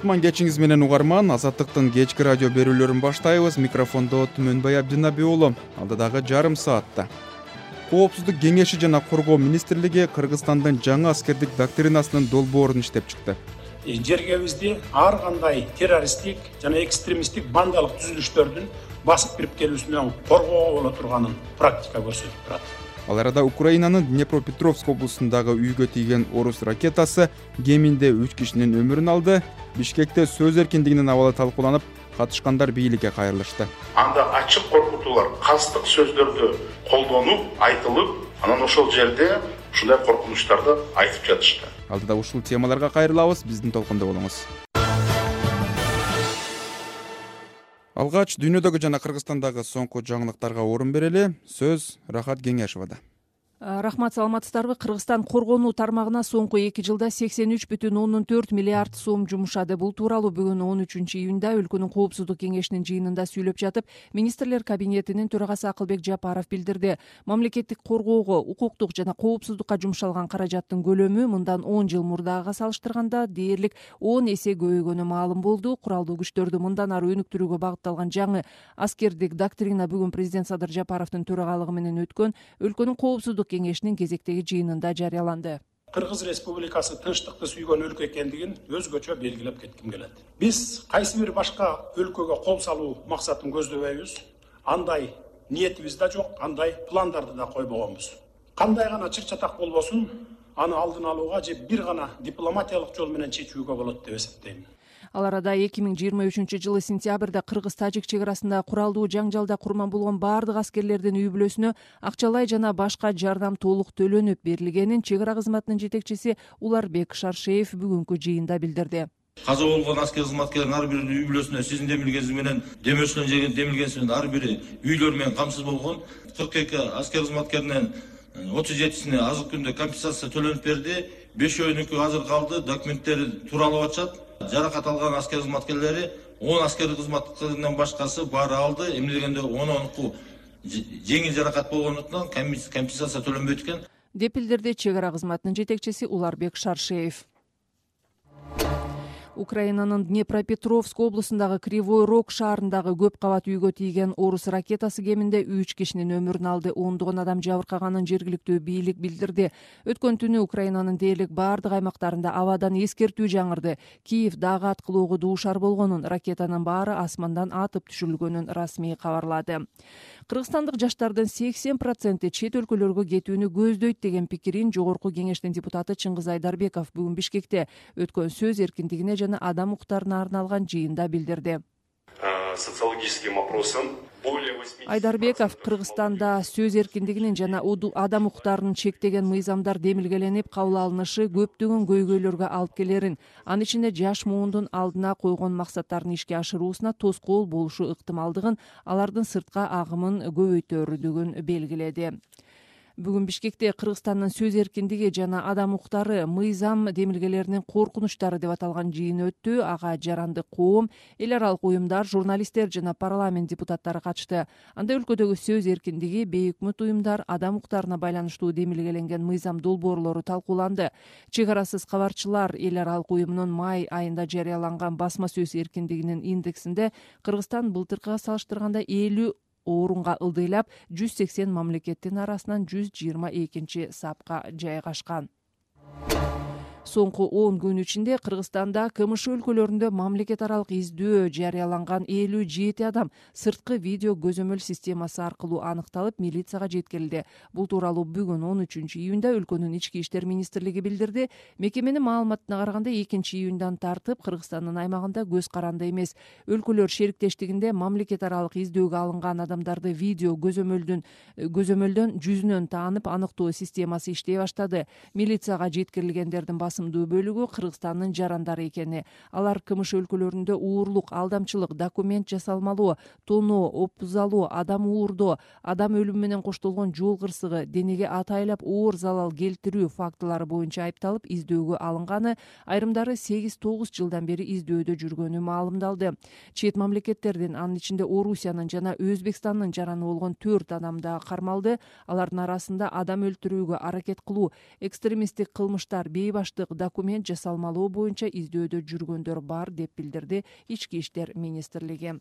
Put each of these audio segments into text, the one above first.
Кутман кечиңиз менен угарман. Азаттыктын кечки радио берүүлөрүн баштайбыз. Микрофондо Түмөнбай Абдинаби уулу. Алдыдагы жарым саатта Коопсуздук кеңеши жана Коргоо министрлиги Кыргызстандын жаңы аскердик доктринасынын долбоорун иштеп чыкты. Жергебизде ар кандай террористтик жана экстремисттик бандалык түзүлүштөрдүн басып кирип келүүсүнөн коргоо боло турганын практика көрсөтүп турат. Ал арада Украинанын Днепропетровск облусундагы үйгө тийген орус ракетасы кеминде 3 кишинин өмүрүн алды. Бишкекте сөз эркиндигинин абалы талкууланып, катышкандар бийликке кайрылышты. Анда ачык коркутуулар, кастык сөздөрдү колдонуп, айтылып, анан ошол жерде ушундай коркунучтарды айтып жатышты. Алдыда ушул темаларга кайрылабыз, биздин толкунда болуңуз. Алгач дүйнөдөгү жана Кыргызстандагы соңку жаңылыктарга орун берели. Сөз Рахат Кеңешовада. Рахмат, саламатсыздарбы? Кыргызстан коргонуу тармагына соңку 2 жылда 83,4 миллиард сом жумушады. Бул тууралуу бүгүн 13-июнда өлкөнүн коопсуздук кеңешинин жыйынында сүйлөп жатып, министрлер кабинетинин төрагасы Акылбек Жапаров билдирди. Мамлекеттик коргоого, укуктук жана коопсуздукка жумшалган каражаттын көлөмү мындан 10 жыл мурдагыга салыштырганда дээрлик 10 эсе көбөйгөнү маалым болду. Куралдуу күчтөрдү мындан ары өнүктүрүүгө багытталган жаңы аскердик доктрина бүгүн президент Садыр Жапаровдун төрагалыгы менен өткөн өлкөнүн коопсуздук кеңешинин кезектеги жыйынында жарыяланды. Кыргыз Республикасы тынчтыкты сүйгөн өлкө экендигин өзгөчө белгилеп кетким келет. Биз кайсы бир башка өлкөгө кол салуу максатын көздөбөйбүз. Андай ниетибиз да жок, андай пландарды да койбогонбуз. Кандай гана чыр-чатак болбосун, аны алдын алууга же бир гана дипломатиялык жол менен чечүүгө болот деп эсептейм. Ал арада 2023-жылы сентябрда Кыргыз-Тажик чек арасында куралдуу жаңжалда курман болгон баардык аскерлердин үй бүлөсүнө акчалай жана башка жардам толук төлөнүп берилгенин чек ара кызматынын жетекчиси Уларбек Шаршеев бүгүнкү жыйында билдирди. Каза болгон аскер кызматкерлердин ар биринин үй бүлөсүнө сиздин демилгениңиз менен, демөсүнөн жеген демилгениңиз менен ар бири үйлөр менен камсыз болгон. 42 аскер кызматкеринин 37сине азыркы күндө компенсация төлөнүп берди. 5-өөнүкү азыр калды, документтери тууралып атышат. Жаракат алган аскер кызматкерлери 10 аскер кызматкеринен башкасы баары алды. Эмне дегенде 10 жеңил жаракат болгондуктан компенсация төлөнбөйт экен деп билдирди чек ара кызматынын жетекчиси Уларбек Шаршеев. Украинанын Днепропетровск облусундагы Кривой Рог шаарындагы көп кабат үйгө тийген орус ракетасы кеминде 3 кишинин өмүрүн алды. Ондогон адам жабыркаганын жергиликтүү бийлик билдирди. Өткөн түнү Украинанын дээрлик баардык аймактарында абадан эскертүү жаңырды. Киев дагы аткылоого дуушар болгонун, ракетанын баары асмандан атып түшүрүлгөнүн расмий кабарлады. Кыргызстандык жаштардын 80% чет өлкөлөргө кетүүнү көздөйт деген пикирин Жогорку кеңештин депутаты Чыңгыз Айдарбеков бүгүн Бишкекте өткөн сөз эркиндигине жана адам укуктарына арналган жыйында билдирди. Социологическим опросом Айдарбеков Кыргызстанда сөз эркиндигинин жана адам укуктарынын чектеген мыйзамдар демилгеленип кабыл алынышы көптөгөн көйгөйлөргө алып келерин, анын ичинде жаш муундун алдына койгон максаттарын ишке ашыруусуна тоскоол болушу ыктымалдыгын, алардын сыртка агымын көбөйтөрдүгүн белгиледи. Бүгүн Бишкекте Кыргызстандын сөз эркиндиги жана адам укуктары мыйзам демилгелеринин коркунучтары деп аталган жыйын өттү. Ага жарандык коом, эл аралык уюмдар, журналисттер жана парламент депутаттары катышты. Анда өлкөдөгү сөз эркиндиги, бейөкмөт уюмдар, адам укуктарына байланыштуу демилгеленген мыйзам долбоорлору талкууланды. Чек арасыз кабарчылар эл аралык уюмунун май айында жарыяланган басма сөз эркиндигинин индексинде Кыргызстан былтыркыга салыштырганда 50 орунга ылдыйлап 180 мамлекеттин арасынан 122 сапка жайгашкан. Соңку 10 күн ичинде Кыргызстанда КМШ өлкөлөрүндө мамлекет аралык издөө жарыяланган 57 адам сырткы видео көзөмөл системасы аркылуу аныкталып, милицияга жеткирилди. Бул тууралуу бүгүн 13-июнда өлкөнүн ички иштер министрлиги билдирди. Мекеменин маалыматына караганда 2-июндан тартып Кыргызстандын аймагында көз каранды эмес. Өлкөлөр шериктештигинде мамлекет аралык издөөгө алынган адамдарды видео көзөмөлдөн жүзүнөн таанып аныктоо системасы иштей баштады. Милицияга жеткирилгендердин басымдуу бөлүгү Кыргызстандын жарандары экени. Алар КМШ өлкөлөрүндө уурлук, алдамчылык, документ жасалмалоо, тоноо, опузалоо, адам уурдоо, адам өлүмү менен коштолгон жол кырсыгы, денеге атайлап оор залал келтирүү фактылары боюнча айыпталып издөөгө алынганы, айрымдары 8-9 жылдан бери издөөдө жүргөнү маалымдалды. Чет мамлекеттердин, анын ичинде Орусиянын жана Өзбекстандын жараны болгон 4 адам да кармалды. Алардын арасында адам өлтүрүүгө аракет кылуу, экстремисттик кылмыштар, бейбаштык, бардык документ жасалмалоо боюнча издөөдө жүргөндөр бар деп билдирди Ички иштер министрлиги.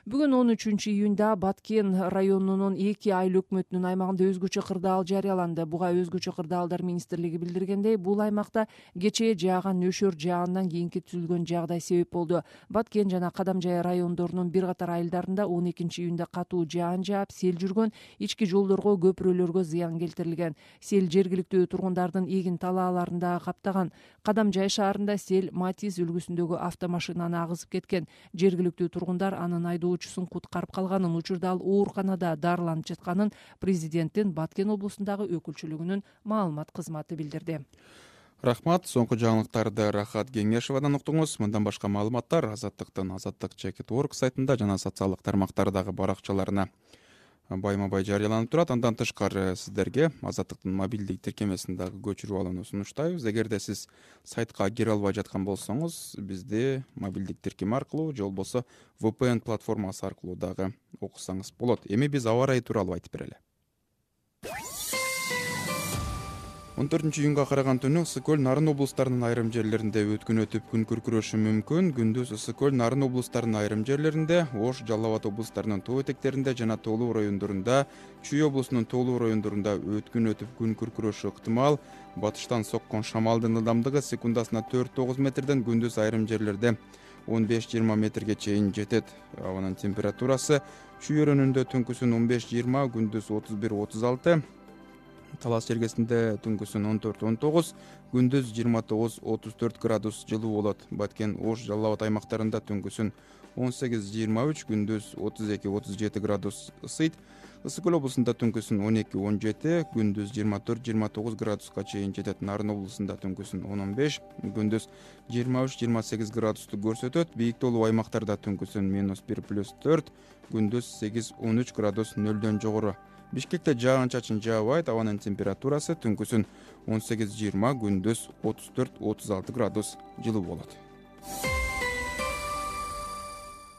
Бүгүн 13-июнда Баткен районунун 2 айыл өкмөтүнүн аймагында өзгөчө кырдаал жарыяланды. Буга өзгөчө кырдаалдар министрлиги билдиргендей, бул аймакта кечээ жааган нөшөр жаагындан кийинки түзүлгөн жагдай себеп болду. Баткен жана Кадамжай райондорунун бир катар айылдарында 12-июнда катуу жаан жаап, сел жүргөн, ички жолдорго, көпүрөлөргө зыян келтирилген. Сел жергиликтүү тургундардын эгин талааларын да каптаган. Кадамжай шаарында сел Матис үлгүсүндөгү автомашинаны агызып кеткен. Жергиликтүү тургундар анын айдоочусун куткарып калганын, учурда ал ооруканада дарыланып жатканын президенттин Баткен облусундагы өкүлчүлүгүнүн маалымат кызматы билдирди. Рахмат. Соңку жаңылыктарды Рахат Кеңешевадан уктуңуз. Мындан башка маалыматтар Азаттыктын azattik.org сайтында жана социалдык тармактардагы баракчаларына байма-бай жарыяланып турат. Андан тышкары сиздерге Азаттыктын мобилдик тиркемесин дагы көчүрүп алууну сунуштайбыз. Эгерде сиз сайтка кире албай жаткан болсоңуз, бизди мобилдик тиркеме аркылуу же болбосо VPN платформасы аркылуу дагы окусаңыз болот. Эми биз аба ырайы тууралуу айтып берели. 14-июнга караган түнү Ысык көл, Нарын облустарынын айрым жерлеринде өткүн өтүп күн күркүрөшү мүмкүн. Күндүз Ысык көл, Нарын облустарынын айрым жерлеринде, Ош, Жалал Абад облустарынын тоо этектеринде жана Тоолуу райондорунда, Чүй облусунун Тоолуу райондорунда өткүн өтүп күн күркүрөшү ыктымал. Батыштан соккон шамалдын ылдамдыгы секундасына 4-9 метрден, күндүз айрым жерлерде 15-20 метрге чейин жетет. Абанын температурасы Чүй өрөөнүндө түнкүсүн 15-20, күндүз 31-36. Талас жергесинде түнкүсүн 14-19, күндүз 29-34 градус жылуу болот. Баткен, Ош, Жалал Абад аймактарында түнкүсүн 18-23, күндүз 32-37 градус ысыйт. Ысык көл облусунда түнкүсүн 12-17, күндүз 24-29 градуска чейин жетет. Нарын облусунда түнкүсүн 10-15, күндүз 23-28 градусту көрсөтөт. Бийик тоолуу аймактарда түнкүсүн -1+4, күндүз 8-13 градус нөлдөн жогору. Бишкекте жаан-чачын жаабайт. Абанын температурасы түнкүсүн 18-20, күндүз 34-36 градус жылуу болот.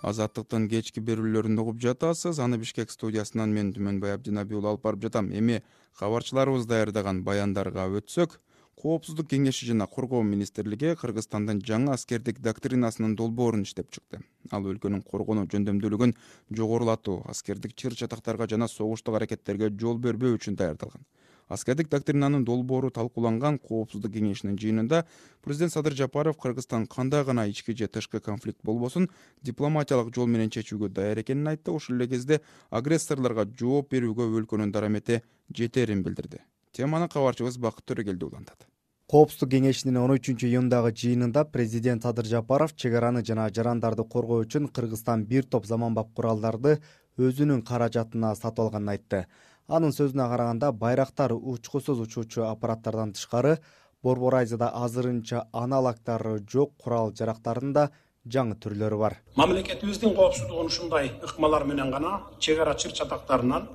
Азаттыктын кечки берүүлөрүн угуп жатасыз. Аны Бишкек студиясынан мен Түмөнбай Абдинаби уулу алып барып жатам. Эми кабарчыларыбыз даярдаган баяндарга өтсөк, Коопсуздук кеңеши жана Коргоо министрлиги Кыргызстандын жаңы аскердик доктринасынын долбоорун иштеп чыкты. Ал өлкөнүн коргонуу жөндөмдүүлүгүн жогорулатуу, аскердик чыр-чатактарга жана согуштук аракеттерге жол бербөө үчүн даярдалган. Аскердик доктринанын долбоору талкууланган Коопсуздук кеңешинин жыйынында президент Садыр Жапаров Кыргызстан кандай гана ички же тышкы конфликт болбосун дипломатиялык жол менен чечүүгө даяр экенин айтты. Ошол эле кезде агрессорлорго жооп берүүгө өлкөнүн дарамети жетерин билдирди. Теманы кабарчыбыз Бакыт Төрөгелди улантат. Коопсуздук кеңешинин 13-июндагы жыйынында президент Садыр Жапаров чек араны жана жарандарды коргоо үчүн Кыргызстан бир топ заманбап куралдарды өзүнүн каражатына сатып алганын айтты. Анын сөзүнө караганда, байрактар учкусуз учуучу аппараттардан тышкары Борбор Азияда азырынча аналогдору жок курал-жарактардын да жаңы түрлөрү бар. Мамлекетибиздин коопсуздугун ушундай ыкмалар менен гана чек ара чыр-чатактарынан,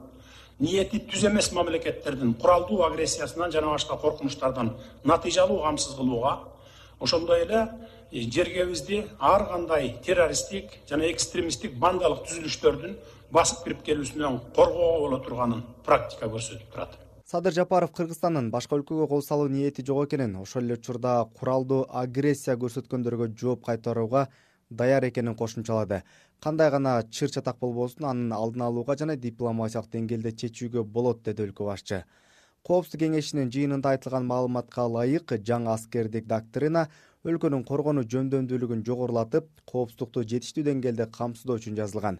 ниети түз эмес мамлекеттердин куралдуу агрессиясынан жана башка коркунучтардан натыйжалуу камсыз кылууга, ошондой эле жергебизди ар кандай террористтик жана экстремисттик бандалык түзүлүштөрдүн басып кирип келүүсүнөн коргоого боло турганын практика көрсөтүп турат. Садыр Жапаров Кыргызстандын башка өлкөгө кол салуу ниети жок экенин, ошол эле учурда куралдуу агрессия көрсөткөндөргө жооп кайтарууга даяр экенин кошумчалады. Кандай гана чыр-чатак болбосун, анын алдын алууга жана дипломатиялык деңгээлде чечүүгө болот, деди өлкө башчы. Коопсуздук кеңешинин жыйынында айтылган маалыматка ылайык, жаңы аскердик доктрина өлкөнүн коргонуу жөндөмдүүлүгүн жогорулатып, коопсуздукту жетиштүү деңгээлде камсыздоо үчүн жазылган.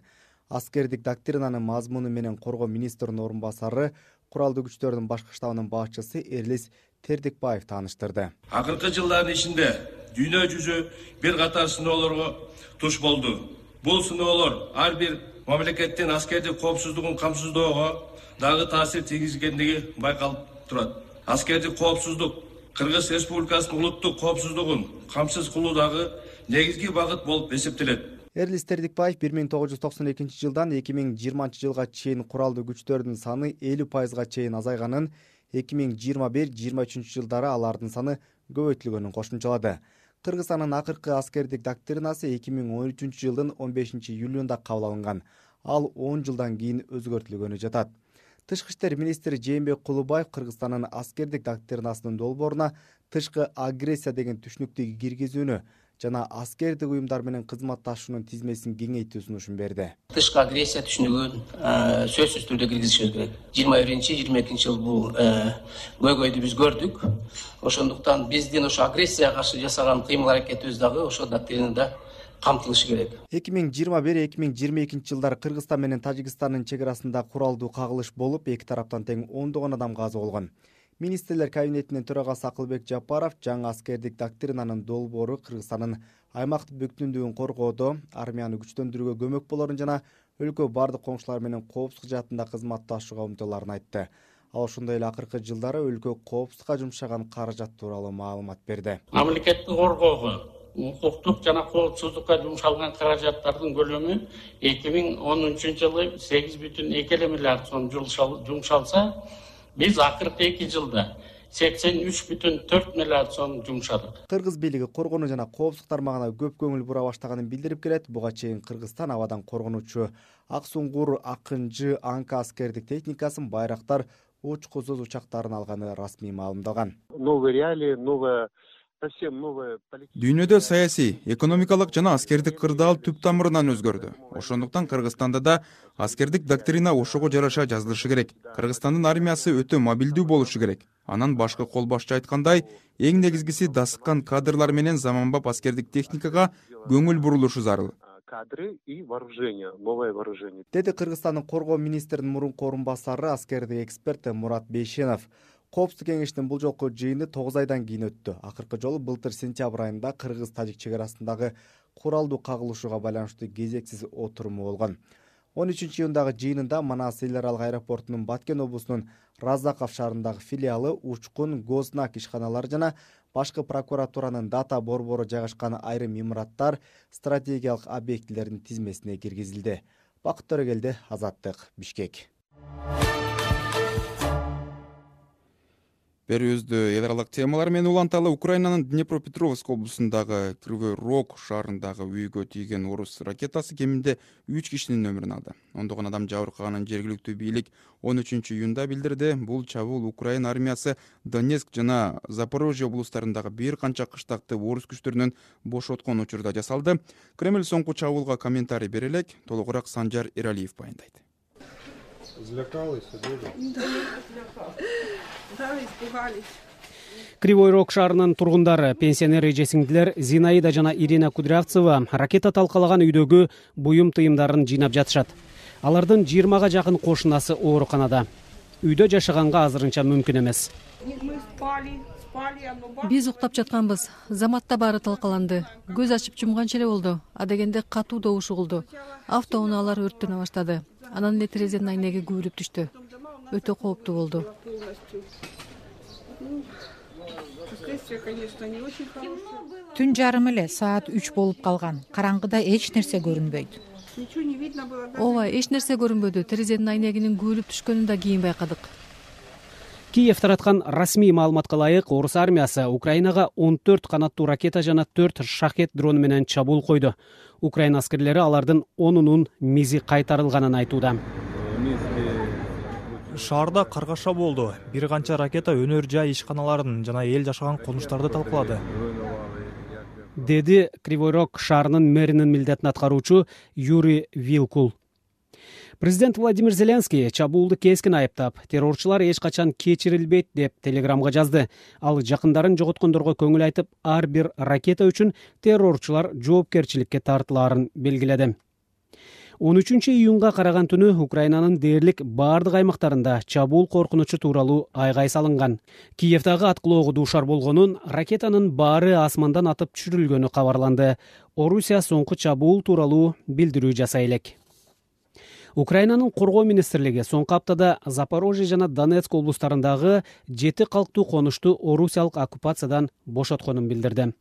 Аскердик доктринанын мазмуну менен коргоо министринин орун басары, куралдуу күчтөрдүн башкы штабынын башчысы Эрлис Тердикбаев тааныштырды. Акыркы жылдардын ичинде дүйнө жүзү бир катар сыноолорго туш болду. Бул сыноолор ар бир мамлекеттин аскердик коопсуздугун камсыздоого дагы таасир тийгизгендиги байкалып турат. Аскердик коопсуздук Кыргыз Республикасынын улуттук коопсуздугун камсыз кылуудагы негизги багыт болуп эсептелет. Эрлис Тердикбаев 1992 жылдан 2020 жылга чейин куралдуу күчтөрдүн саны 50% чейин азайганын, 2021-23 жылдары алардын саны көбөйтүлгөнүн кошумчалады. Кыргызстандын акыркы аскердик доктринасы 2013 жылдын 15 июлунда кабыл алынган. Ал 10 жылдан кийин өзгөртүлгөнү жатат. Тышкы иштер министри Жээнбек Кулубаев Кыргызстандын аскердик доктринасынын долбооруна тышкы агрессия деген түшүнүктү киргизүүнү жана аскердик уюмдар менен кызматташуунун тизмесин кеңейтүү сунушун берди. Тышкы агрессия түшүнүгүн сөзсүз түрдө киргизишибиз керек. 21-22 жыл бул көйгөйдү биз көрдүк. Ошондуктан биздин ошо агрессияга каршы жасаган кыймыл-аракетибиз дагы ошо доктринада камтылышы керек. 2021-2022 жылдары Кыргызстан менен Тажикстандын чек арасында куралдуу кагылыш болуп, эки тараптан тең 10 адам каза болгон. Министрлер кабинетинин төрагасы Акылбек Жапаров жаңы аскердик доктринанын долбоору Кыргызстандын аймактык бүтүндүгүн коргоодо, армияны күчтөндүрүүгө көмөк болорун жана өлкө бардык коңшулар менен коопсуздук жаатында кызматташууга умтулаарын айтты. Ал ошондой эле акыркы жылдары өлкө коопсуздукка жумшаган каражат тууралуу маалымат берди. Мамлекетти коргоого, укуктук жана коопсуздукка жумшалган каражаттардын көлөмү 2010 жылы 8,2 миллиард сом жумшалса, биз акыркы 2 жылда 83,4 миллиард сом жумшадык. Кыргыз бийлиги коргонуу жана коопсуздук тармагына көп көңүл бура баштаганын билдирип келет. Буга чейин Кыргызстан абадан коргонуучу Ак Суңгур, Акынжы, Анка аскердик техникасын, байрактар, учкусуз учактарын алганы расмий маалымдалган. Новые реалии, новая Дүйнөдө саясий, экономикалык жана аскердик кырдаал түп тамырынан өзгөрдү. Ошондуктан Кыргызстанда да аскердик доктрина ошого жараша жазылышы керек. Кыргызстандын армиясы өтө мобилдүү болушу керек. Анан башкы кол башчы айткандай, эң негизгиси дасыккан кадрлар менен заманбап аскердик техникага көңүл бурулушу зарыл. Кадры и вооружение, новое вооружение. Деди Кыргызстандын коргоо министринин мурунку орун басары, аскердик эксперт Мурат Бейшенов. Коопсуздук кеңештин бул жолку жыйыны 9 айдан кийин өттү. Акыркы жолу былтыр сентябрь айында Кыргыз-Тажик чек арасындагы куралдуу кагылышууга байланыштуу кезексиз отуруму болгон. 13-июндагы жыйынында Манас эл аралык аэропортунун Баткен облусунун Разаков шаарындагы филиалы, Учкун, Гознак ишканалары жана башкы прокуратуранын дата борбору жайгашкан айрым имараттар, стратегиялык объектилердин тизмесине киргизилди. Бакыт Төрөгелди, Азаттык, Бишкек. Берүүбүздү эл аралык темалар менен уланталы. Украинанын Днепропетровск облусундагы Кривой Рог шаарындагы үйгө тийген орус ракетасы кеминде 3 кишинин өмүрүн алды. Ондогон адам жабыркаганын жергиликтүү бийлик 13-июнда билдирди. Бул чабуул Украина армиясы Донецк жана Запорожье облустарындагы бир канча кыштакты орус күчтөрүнөн бошоткон учурда жасалды. Кремль соңку чабуулга комментарий бере элек. Толугураак Санжар Эралиев баяндайт. Кривой Рог шаарынын тургундары, пенсионер эжесиңдилер Зинаида жана Ирина Кудрявцева ракета талкалаган үйдөгү буюм тыйымдарын жыйнап жатышат. Алардын 20га жакын кошунасы ооруканада. Үйдө жашаганга азырынча мүмкүн эмес. Биз уктап жатканбыз. Заматта баары талкаланды. Көз ачып жумганча эле болду. Адегенде катуу добуш угулду. Автоунаалар өрттөнө баштады. Анан эле терезенин айнеги күбүлүп түштү. Өтө кооптуу болду. Түн жарым эле саат 3 болуп калган. Караңгыда эч нерсе көрүнбөйт. Ооба, эч нерсе көрүнбөдү. Терезенин айнегинин күбүлүп түшкөнүн да кийин байкадык. Киев тараткан расмий маалыматка ылайык, орус армиясы Украинага 14 канаттуу ракета жана 4 шахет дрону менен чабуул койду. Украина аскерлери алардын 10-унун мизи кайтарылганын айтууда. Шаарда каргаша болду. Бир канча ракета өнөр жай ишканаларын жана эл жашаган конуштарды талкалады. Деди Кривой Рог шаарынын мэринин милдетин аткаруучу Юрий Вилкул. Президент Владимир Зеленский чабуулду кескин айыптап, террорчулар эч качан кечирилбейт деп телеграмга жазды. Ал жакындарын жоготкондорго көңүл айтып, ар бир ракета үчүн террорчулар жоопкерчиликке тартылаарын белгиледи. 13-июнга караган түнү Украинанын дээрлик бардык аймактарында чабуул коркунучу тууралуу айгай салынган. Киевдagi аткылоого дуушар болгонун, ракетанын баары асмандан атып түшүрүлгөнү кабарланды. Орусия соңку чабуул тууралуу билдирүү жасай элек. Украинанын коргоо министрлиги соңку аптада Запорожье жана Донецк облустарындагы 7 калктуу конушту орусиялык оккупациядан бошотконун билдирди.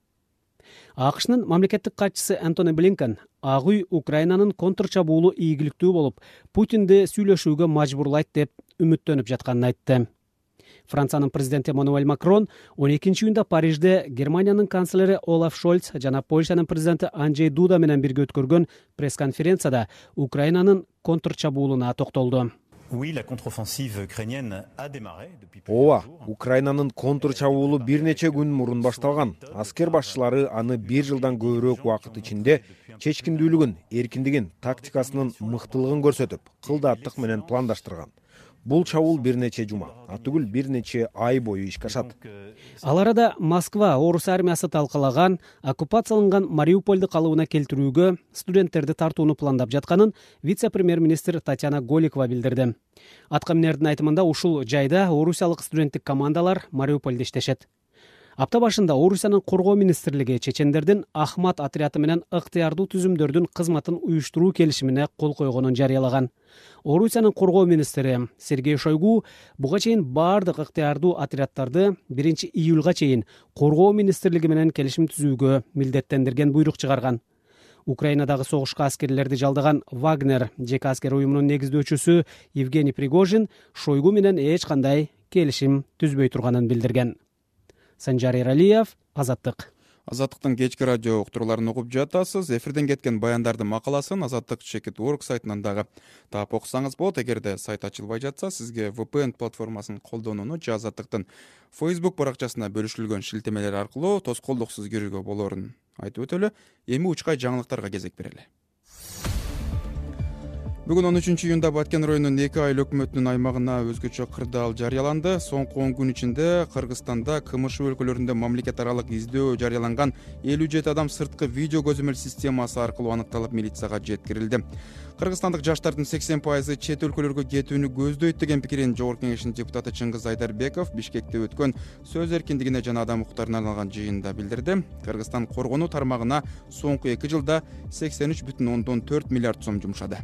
АКШнын мамлекеттик катчысы Антони Блинкен Ак үй Украинанын контрчабуулу ийгиликтүү болуп, Путинди сүйлөшүүгө мажбурлайт деп үмүттөнүп жатканын айтты. Франциянын президенти Эммануэль Макрон 12-июнда Парижде Германиянын канцлери Олаф Шольц жана Польшанын президенти Анджей Дуда менен бирге өткөргөн пресс-конференцияда Украинанын контрчабуулуна токтолду. Ооба, Украинанын контр чабуулу бир нече күн мурун башталган. Аскер башчылары аны 1 жылдан көбүрөөк убакыт ичинде чечкиндүүлүгүн, эркиндигин, тактикасынын мыктылыгын көрсөтүп, кылдааттык менен пландаштырган. Бул чабуул бир нече жума, атүгүл бир нече ай бою ишке ашат. Ал арада Москва орус армиясы талкалаган оккупацияланган Мариупольду калыбына келтирүүгө студенттерди тартууну пландап жатканын вице-премьер-министр Татьяна Голикова билдирди. Аткаминердин айтымында ушул жайда орусиялык студенттик командалар Мариупольдо иштешет. Апта башында Орусиянын коргоо министрлиги чечендердин Ахмат отряды менен ыктыярдуу түзүмдөрдүн кызматын уюштуруу келишимине кол койгонун жарыялаган. Орусиянын коргоо министри Сергей Шойгу буга чейин бардык ыктыярдуу отряддарды 1 июлга чейин коргоо министрлиги менен келишим түзүүгө милдеттендирген буйрук чыгарган. Украинадагы согушка аскерлерди жалдаган Вагнер жеке аскер уюмунун негиздөөчүсү Евгений Пригожин Шойгу менен эч кандай келишим түзбөй турганын билдирген. Санжар Эралиев, Азаттык. Азаттыктын кечки радио уктурууларын угуп жатасыз. Эфирден кеткен баяндардын макаласын Азаттык.org сайтынан дагы таап окусаңыз болот. Эгерде сайт ачылбай жатса, сизге VPN платформасын колдонууну же Азаттыктын Facebook баракчасына бөлүшүлгөн шилтемелер аркылуу тоскоолдуксуз кирүүгө болоорун айтып өтөлү. Эми учкай жаңылыктарга кезек берели. Бүгүн 13 июнда Баткен районунун 2 айыл өкмөтүнүн аймагына өзгөчө кырдаал жарыяланды. Соңку 10 күн ичинде Кыргызстанда КМШ өлкөлөрүндө мамлекет аралык издөө жарыяланган 57 адам сырткы видео көзөмөл системасы аркылуу аныкталып милицияга жеткирилди. Кыргызстандык жаштардын 80% чет өлкөлөргө кетүүнү көздөйт деген пикирин Жогорку Кеңештин депутаты Чыңгыз Айдарбеков Бишкекте өткөн сөз эркиндигине жана адам укуктарына арналган жыйында билдирди. Кыргызстан коргонуу тармагына соңку 2 жылда 83,4 миллиард сом жумшады.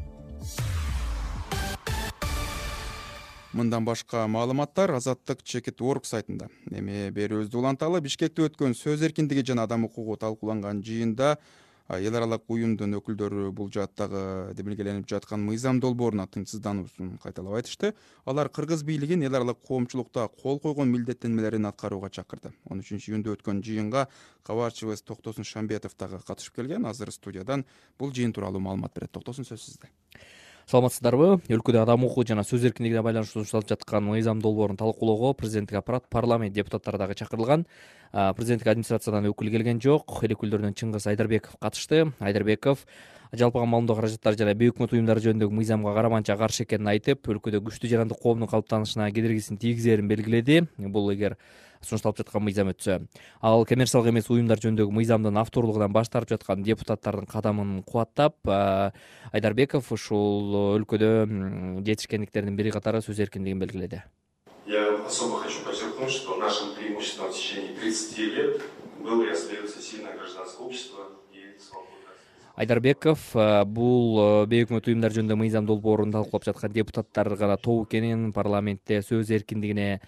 Мындан башка маалыматтар Азаттык.org сайтында. Эми берүүбүздү уланталы. Бишкекте өткөн сөз эркиндиги жана адам укугу талкууланган жыйында эл аралык уюмдун өкүлдөрү бул жааттагы демилгеленип жаткан мыйзам долбооруна тынчсыздануусун кайталап айтышты. Алар кыргыз бийлигин эл аралык коомчулукта кол койгон милдеттенмелерин аткарууга чакырды. 13 июнда өткөн жыйынга кабарчыбыз Токтосун Шамбетов дагы катышып келген. Азыр студиядан бул жыйын тууралуу маалымат берет. Токтосун, сөз сизде. Саламатсыздарбы? Өлкөдө адам укугу жана сөз эркиндигине байланыштуу сунушталып жаткан мыйзам долбоорун талкуулоого президенттик аппарат, парламент депутаттары дагы чакырылган. Президенттик администрациядан өкүл келген жок. Эл өкүлдөрүнөн Чыңгыз Айдарбеков катышты. Айдарбеков жалпыга маалымдоо каражаттары жана бейөкмөт уюмдары жөнүндөгү мыйзамга караманча каршы экенин айтып, өлкөдө күчтүү жарандык коомдун калыптанышына кедергисин тийгизерин белгиледи. Бул эгер сунушталып жаткан мыйзам өтсө. Ал коммерциялык эмес уюмдар жөнүндөгү мыйзамдын авторлугунан баш тартып жаткан депутаттардын кадамын кубаттап, Айдарбеков ушул өлкөдө жетишкендиктердин бири катары сөз эркиндигин белгиледи. Я особо хочу подчеркнуть, что нашим преимуществом в течение 30 лет было и остается сильное гражданское общество и свобода. Айдарбеков бул бейөкмөт уюмдар жөнүндө мыйзам долбоорун талкуулап жаткан депутаттар гана топ экенин, парламентте сөз эркиндигине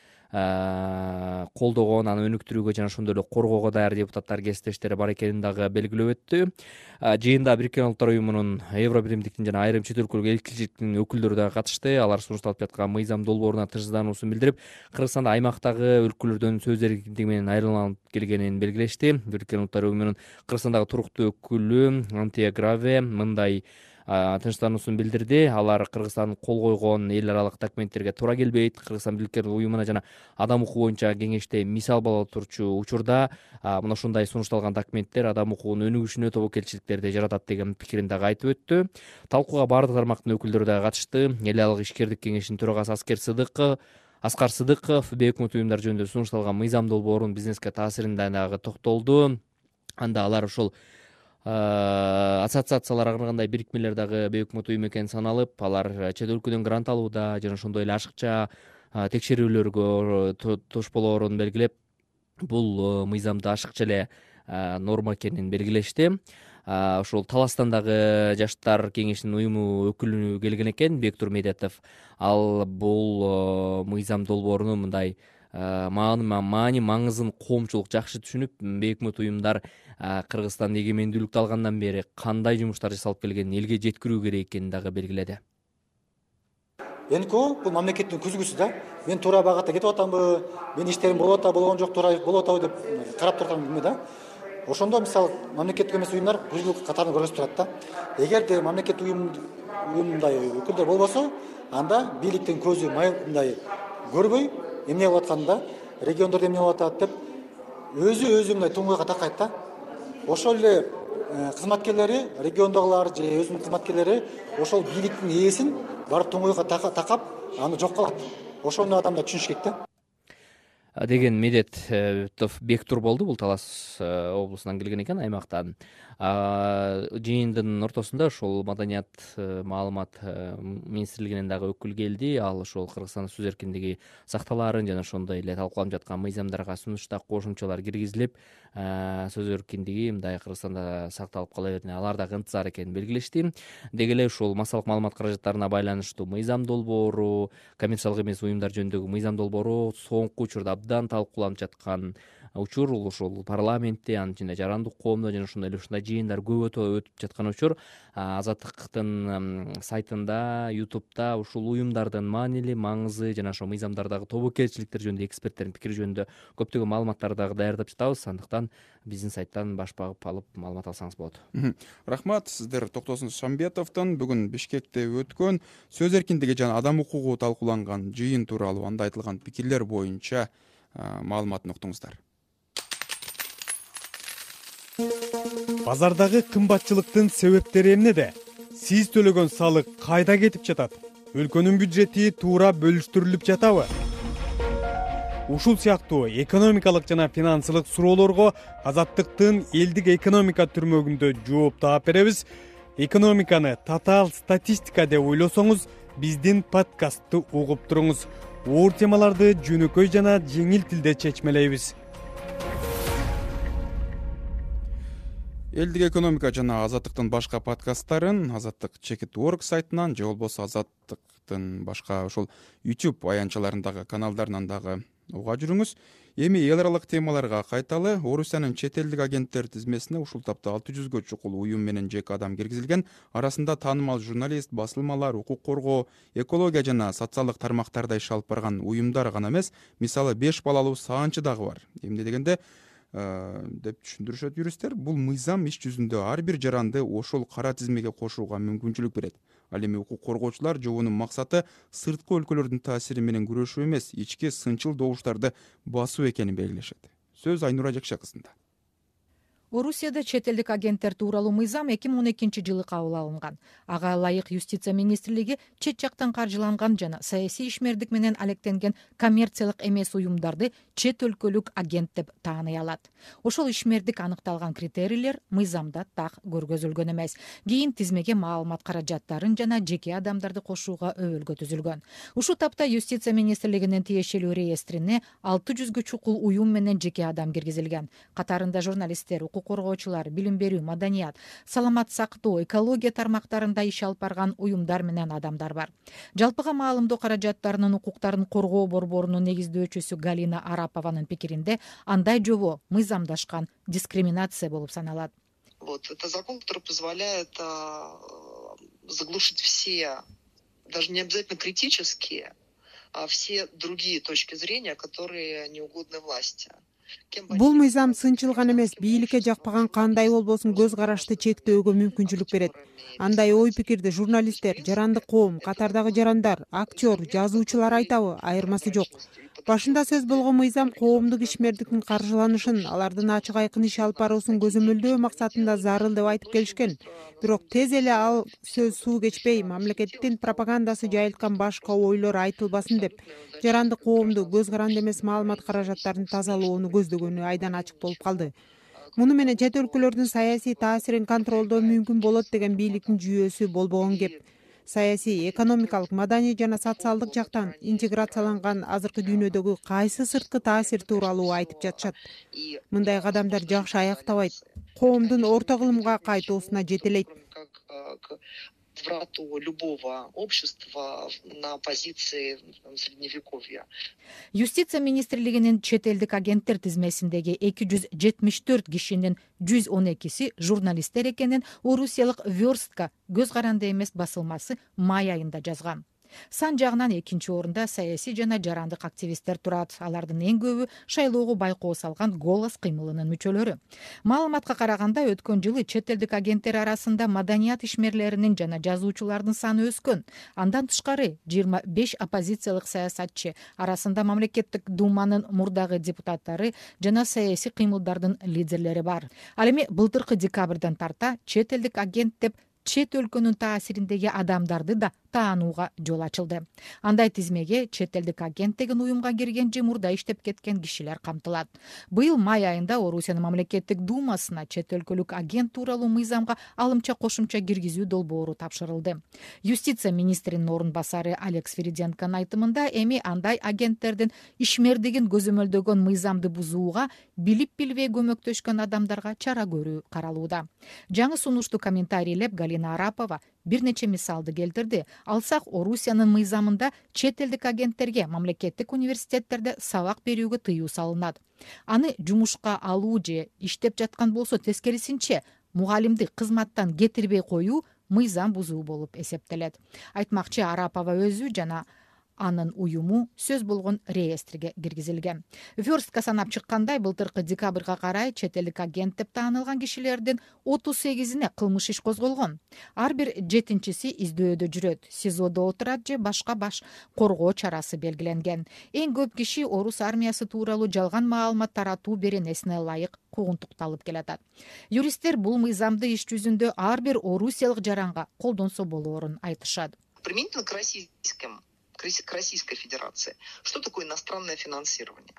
колдогон, аны өнүктүрүүгө жана ошондой эле коргоого даяр депутаттар кесиптештери бар экенин дагы белгилеп өттү. Жыйында Бириккен Улуттар уюмунун, Евробиримдиктин жана айрым чет өлкөлүк элчиликтин өкүлдөрү дагы катышты. Алар сунушталып жаткан мыйзам долбооруна тынчсыздануусун билдирип, Кыргызстанда аймактагы өлкөлөрдөн сөз эркиндиги менен айырмаланып келгенин белгилешти. Бириккен Улуттар уюмунун Кыргызстандагы туруктуу өкүлү Антия Граве мындай тынчсыздануусун билдирди. Алар Кыргызстан кол койгон эл аралык документтерге туура келбейт. Кыргызстан Бириккен уюмуна жана адам укугу боюнча кеңеште мисал боло турчу учурда мына ушундай сунушталган документтер адам укугунун өнүгүшүнө тобокелчиликтерди жаратат деген пикирин дагы айтып өттү. Талкууга бардык тармактын өкүлдөрү дагы катышты. Эл аралык ишкердик кеңешинин төрагасы Аскар Сыдыков бейөкмөт уюмдар жөнүндө сунушталган мыйзам долбоорунун бизнеске таасирине дагы токтолду. Анда алар ушул ассоциациялар ар кандай бирикмелер дагы бейөкмөт уюм экени саналып, алар чет өлкөдөн грант алууда жана ошондой эле ашыкча текшерүүлөргө туш болоорун белгилеп, бул мыйзамда ашыкча эле норма экенин белгилешти. Ошол Таластандагы жаштар кеңешинин уюму өкүлү келген экен, Бектур Медетов. Ал бул мыйзам долбоорунун мындай маани маңызын коомчулук жакшы түшүнүп, бейөкмөт уюмдар Кыргызстан эгемендүүлүктү алгандан бери кандай жумуштар жасалып келгенин элге жеткирүү керек экенин дагы белгиледи. НКО бул мамлекеттин күзгүсү да. Мен туура багатта кетип атамбы, менин иштерим болуп атабы, болгон жок, туура болуп атабы деп карап турсам билме да. Ошондо мисалы мамлекеттик эмес уюмдар күзгүлүк катарын көрсөтүп турат да. Эгерде мамлекеттик мындай өкүлдөр болбосо, анда бийликтин көзү мындай көрбөй эмне болуп атканда, региондордо эмне болуп атат деп өзү мындай туңгуйга такайт да. Ошол эле кызматкерлери, региондогулар же өзүнүн кызматкерлери ошол бийликтин ээсин барып туңгуйга такап, аны жок кылат. Ошону адамдар түшүнүш керек да. Деген Медет Бектур болду. Бул Талас облусунан келген экен, аймактан. Жыйындын ортосунда ошол маданият маалымат министрлигинен дагы өкүл келди. Ал ошол Кыргызстандын сөз эркиндиги сакталаарын жана ошондой эле талкууланып жаткан мыйзамдарга сунуштак кошумчалар киргизилип, сөз эркиндиги мындай Кыргызстанда сакталып кала берүүнү алар дагы ынтызар экенин белгилешти. Деги эле ушул массалык маалымат каражаттарына байланыштуу мыйзам долбоору, коммерциялык эмес уюмдар жөнүндөгү мыйзам долбоору соңку учурда абдан талкууланып жаткан учур. Ошол парламентте, анын ичинде жарандык коомдо жана ошондой эле ушундай жыйындар көп өтүп жаткан учур. Азаттыктын сайтында, YouTube'да ушул уюмдардын маанилүү маңызы жана ошол мыйзамдардагы тобокелчиликтер жөнүндө эксперттердин пикири жөнүндө көптөгөн маалыматтарды дагы даярдап жатабыз. Андыктан биздин сайттан баш багып алып маалымат алсаңыз болот. Рахмат. Сиздер Токтосун Шамбетовдон бүгүн Бишкекте өткөн сөз эркиндиги жана адам укугу талкууланган жыйын тууралуу анда айтылган пикирлер боюнча маалыматын уктуңуздар. Базардагы кымбатчылыктын себептери эмнеде? Сиз төлөгөн салык кайда кетип жатат? Өлкөнүн бюджети туура бөлүштүрүлүп жатабы? Ушул сыяктуу экономикалык жана финансылык суроолорго Азаттыктын элдик экономика түрмөгүндө жооп таап беребиз. Экономиканы татаал статистика деп ойлосоңуз, биздин подкастты угуп туруңуз. Оор темаларды жөнөкөй жана жеңил тилде чечмелейбиз. Элдик экономика жана Азаттыктын башка подкасттарын Азаттык.org сайтынан же болбосо Азаттыктын башка ошол YouTube аянтчаларындагы каналдарынан дагы уга жүрүңүз. Эми эл аралык темаларга кайталы. Орусиянын чет элдик агенттер тизмесине ушул тапта 600гө чукул уюм менен жеке адам киргизилген. Арасында таанымал журналист, басылмалар, укук коргоо, экология жана социалдык тармактарда иш алып барган уюмдар гана эмес, мисалы 5 балалуу саанчы дагы бар. Эмне дегенде деп түшүндүрүшөт юристтер, бул мыйзам иш жүзүндө ар бир жаранды ошол кара тизмеге кошууга мүмкүнчүлүк берет. Ал эми укук коргоочулар жобонун максаты сырткы өлкөлөрдүн таасири менен күрөшүү эмес, ички сынчыл добуштарды басуу экенин белгилешет. Сөз Айнура Жакша кызында. Орусияда чет элдик агенттер тууралуу мыйзам 2012 жылы кабыл алынган. Ага ылайык Юстиция министрлиги чет жактан каржыланган жана саясий ишмердик менен алектенген коммерциялык эмес уюмдарды чет өлкөлүк агент деп тааный алат. Ошол ишмердик аныкталган критерийлер мыйзамда так көргөзүлгөн эмес. Кийин тизмеге маалымат каражаттарын жана жеке адамдарды кошууга өбөлгө түзүлгөн. Ушул тапта Юстиция министрлигинин тиешелүү реестрине 600гө чукул уюм менен жеке адам киргизилген. Катарында журналисттер, коргоочулар, билим берүү, маданият, саламат сактоо, экология тармактарында иш алып барган уюмдар менен адамдар бар. Жалпыга маалымдоо каражаттарынын укуктарын коргоо борборунун негиздөөчүсү Галина Арапованын пикиринде, андай жобо мыйзамдашкан дискриминация болуп саналат. Вот это закон, который позволяет заглушить все, даже не обязательно критические, а все другие точки зрения, которые не угодны власти. Бул мыйзам сынчылган эмес, бийликке жакпаган кандай болбосун көз карашты чектөөгө мүмкүнчүлүк берет. Андай ой пикирди журналисттер, жарандык коом, катардагы жарандар, актер, жазуучулар айтабы, айырмасы жок. Башында сөз болгон мыйзам коомдук ишмердиктин каржыланышын, алардын ачык айкын иш алып баруусун көзөмөлдөө максатында зарыл деп айтып келишкен. Бирок тез эле ал сөз суу кечпей, мамлекеттин пропагандасы жайылткан башка ойлор айтылбасын деп, жарандык коомду көз каранды эмес маалымат каражаттарын тазалоону көздөгөнү айдан ачык болуп калды. Муну менен чет өлкөлөрдүн саясий таасирин контролдоо мүмкүн болот деген бийликтин жүйөсү болбогон кеп. Саясий, экономикалык, маданий жана социалдык жактан интеграцияланган азыркы дүйнөдөгү кайсы сырткы таасир тууралуу айтып жатышат. Мындай кадамдар жакшы аяктабайт, коомдун орто кылымга кайтуусуна жетелейт. Врату любого общества на позиции средневековья. Юстиция министрлигинин чет элдик агенттер тизмесиндеги 274 кишинин 112си журналисттер экенин орусиялык Верстка көз каранды эмес басылмасы май айында жазган. Сан жагынан экинчи орунда саясий жана жарандык активисттер турат. Алардын эң көбү шайлоого байкоо салган Голос кыймылынын мүчөлөрү. Маалыматка караганда өткөн жылы чет элдик агенттер арасында маданият ишмерлеринин жана жазуучулардын саны өскөн. Андан тышкары 25 оппозициялык саясатчы арасында мамлекеттик думанын мурдагы депутаттары жана саясий кыймылдардын лидерлери бар. Ал эми былтыркы декабрдан тарта чет элдик агент деп чет өлкөнүн таасириндеги адамдарды да таанууга жол ачылды. Андай тизмеге чет элдик агент деген уюмга кирген же мурда иштеп кеткен кишилер камтылат. Быйыл май айында Орусиянын мамлекеттик думасына чет өлкөлүк агент тууралуу мыйзамга алымча кошумча киргизүү долбоору тапшырылды. Юстиция министринин орун басары Алекс Фериденконун айтымында эми андай агенттердин ишмердигин көзөмөлдөгөн мыйзамды бузууга билип билбей көмөктөшкөн адамдарга чара көрүү каралууда. Жаңы сунушту комментарийлеп Галина Арапова бир нече мисалды келтирди. Алсак, Орусиянын мыйзамында чет элдик агенттерге мамлекеттик университеттерде сабак берүүгө тыюу салынат. Аны жумушка алуу же иштеп жаткан болсо тескерисинче мугалимди кызматтан кетирбей коюу мыйзам бузуу болуп эсептелет. Айтмакчы, Арапова өзү жана анын уюму сөз болгон реестрге киргизилген. Верстка санап чыккандай, былтыркы декабрга карай чет элдик агент деп таанылган кишилердин 38-ине кылмыш иш козголгон. Ар бир 7-чиси издөөдө жүрөт, СИЗОдо отурат же башка баш коргоо чарасы белгиленген. Эң көп киши орус армиясы тууралуу жалган маалымат таратуу беренесине ылайык куугунтукталып келатат. Юристтер бул мыйзамды иш жүзүндө ар бир орусиялык жаранга колдонсо болоорун айтышат. Применительно к Российской Федерации. Что такое иностранное финансирование?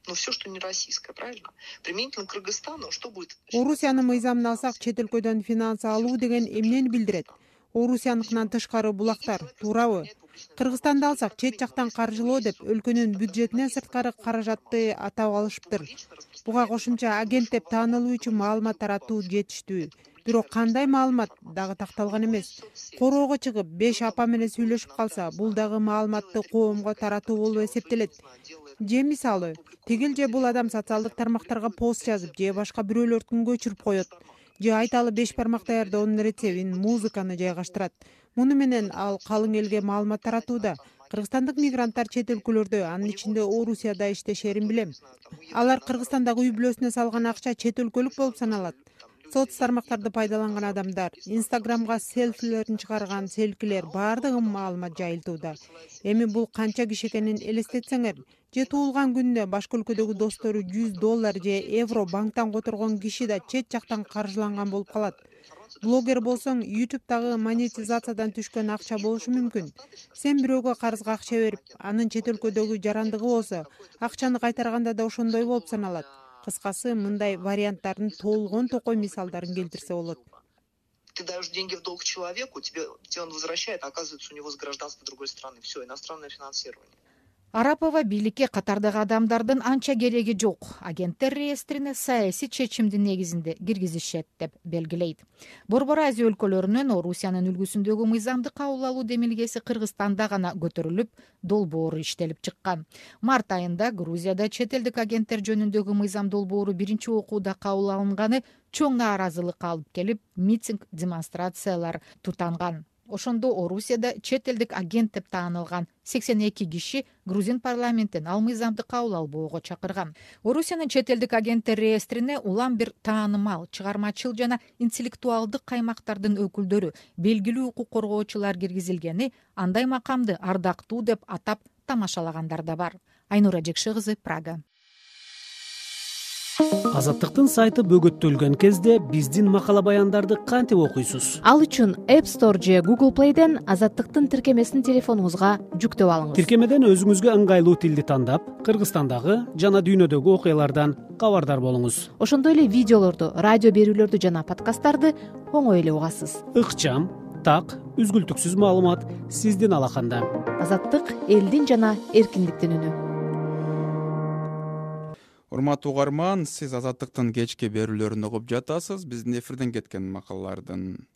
Ну, все, что не российское, правильно? Применительно к Кыргызстану, что будет? Орусиянын мыйзамын алсак, чет өлкөдөн финанс алуу деген эмнени билдирет? Орусияныкынан тышкары булактар, туурабы? Кыргызстанды алсак, чет жактан каржылоо деп өлкөнүн бюджетинен сырткары каражатты атап алышыптыр. Буга кошумча агент деп таанылуу үчүн маалымат таратуу жетиштүү. Бирок кандай маалымат дагы такталган эмес. Короого чыгып 5 апа менен сүйлөшүп калса, бул дагы маалыматты коомго таратуу болуп эсептелет. Же мисалы, тигил же бул адам социалдык тармактарга пост жазып, же башка бирөөлөрдүн көчүрүп коет. Же айталы 5 бармак даярдоонун рецептин, музыканы жайгаштырат. Муну менен ал калың элге маалымат таратууда. Кыргызстандык мигранттар чет өлкөлөрдө, анын ичинде Орусияда иштешерин билем. Алар Кыргызстандагы үй бүлөсүнө салган акча чет өлкөлүк болуп саналат. Соц тармактарды пайдаланган адамдар, Инстаграмга селфилерин чыгарган селкилер баардыгы маалымат жайылтууда. Эми бул канча киши экенин элестетсеңер, же туулган күнүнө башка өлкөдөгү достору $100 же евро банктан которгон киши да чет жактан каржыланган болуп калат. Блогер болсоң, YouTube'дагы монетизациядан түшкөн акча болушу мүмкүн. Сен бирөөгө карызга акча берип, анын чет өлкөдөгү жарандыгы болсо, акчаны кайтарганда да ошондой болуп саналат. Кыскасы, мындай варианттардын толгон токой мисалдарын келтирсе болот. Ты даешь деньги в долг человеку, тебе он возвращает, а оказывается, у него с гражданства другой страны. Все, иностранное финансирование. Арапова бийликке катардагы адамдардын анча кереги жок. Агенттер реестрине саясий чечимдин негизинде киргизишет деп белгилейт. Борбор Азия өлкөлөрүнөн Орусиянын үлгүсүндөгү мыйзамды кабыл алуу демилгеси Кыргызстанда гана көтөрүлүп, долбоору иштелип чыккан. Март айында Грузияда чет элдик агенттер жөнүндөгү мыйзам долбоору биринчи окууда кабыл алынганы чоң нааразылыкка алып келип, митинг, демонстрациялар тутанган. Ошондо Орусияда чет элдик агент деп таанылган 82 киши грузин парламентин ал мыйзамды кабыл албоого чакырган. Орусиянын чет элдик агенттер реестрине улам бир таанымал, чыгармачыл жана интеллектуалдык каймактардын өкүлдөрү, белгилүү укук коргоочулар киргизилгени, андай макамды ардактуу деп атап тамашалагандар да бар. Айнура Жекши кызы, Прага. Азаттыктын сайты бөгөттөлгөн кезде биздин макала баяндарды кантип окуйсуз? Ал үчүн App Store же Google Play'ден Азаттыктын тиркемесин телефонуңузга жүктөп алыңыз. Тиркемеден өзүңүзгө ыңгайлуу тилди тандап, Кыргызстандагы жана дүйнөдөгү окуялардан кабардар болуңуз. Ошондой эле видеолорду, радио берүүлөрдү жана подкасттарды оңой эле угасыз. Ыкчам, так, үзгүлтүксүз маалымат сиздин алаканда. Азаттык элдин жана эркиндиктин үнү. Урматтуу угарман, сиз Азаттыктын кечки берүүлөрүн угуп жатасыз. Биздин эфирден кеткен макалалардын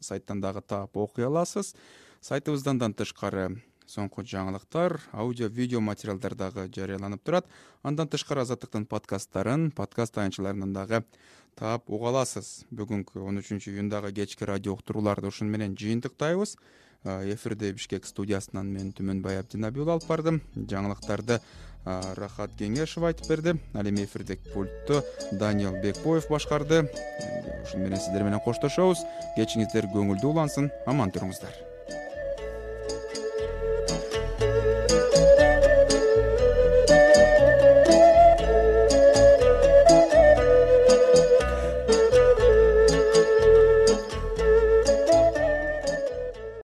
сайттан дагы таап окуй аласыз. Сайтыбыздан тышкары соңку жаңылыктар, аудио видео материалдар дагы жарыяланып турат. Андан тышкары Азаттыктын подкасттарын подкаст таянчыларынан дагы таап уга аласыз. Бүгүнкү 13 июндагы кечки радио уктурууларды ушун менен жыйынтыктайбыз. Эфирде Бишкек студиясынан мен Түмөнбай Абдинабиул алып бардым. Жаңылыктарды Рахат Кеңешев айтып берди. Ал эми эфирдеги пультту Даниэл Бекбоев башкарды. Ушун менен сиздер менен коштошобуз. Кечиңиздер көңүлдүү улансын. Аман туруңуздар.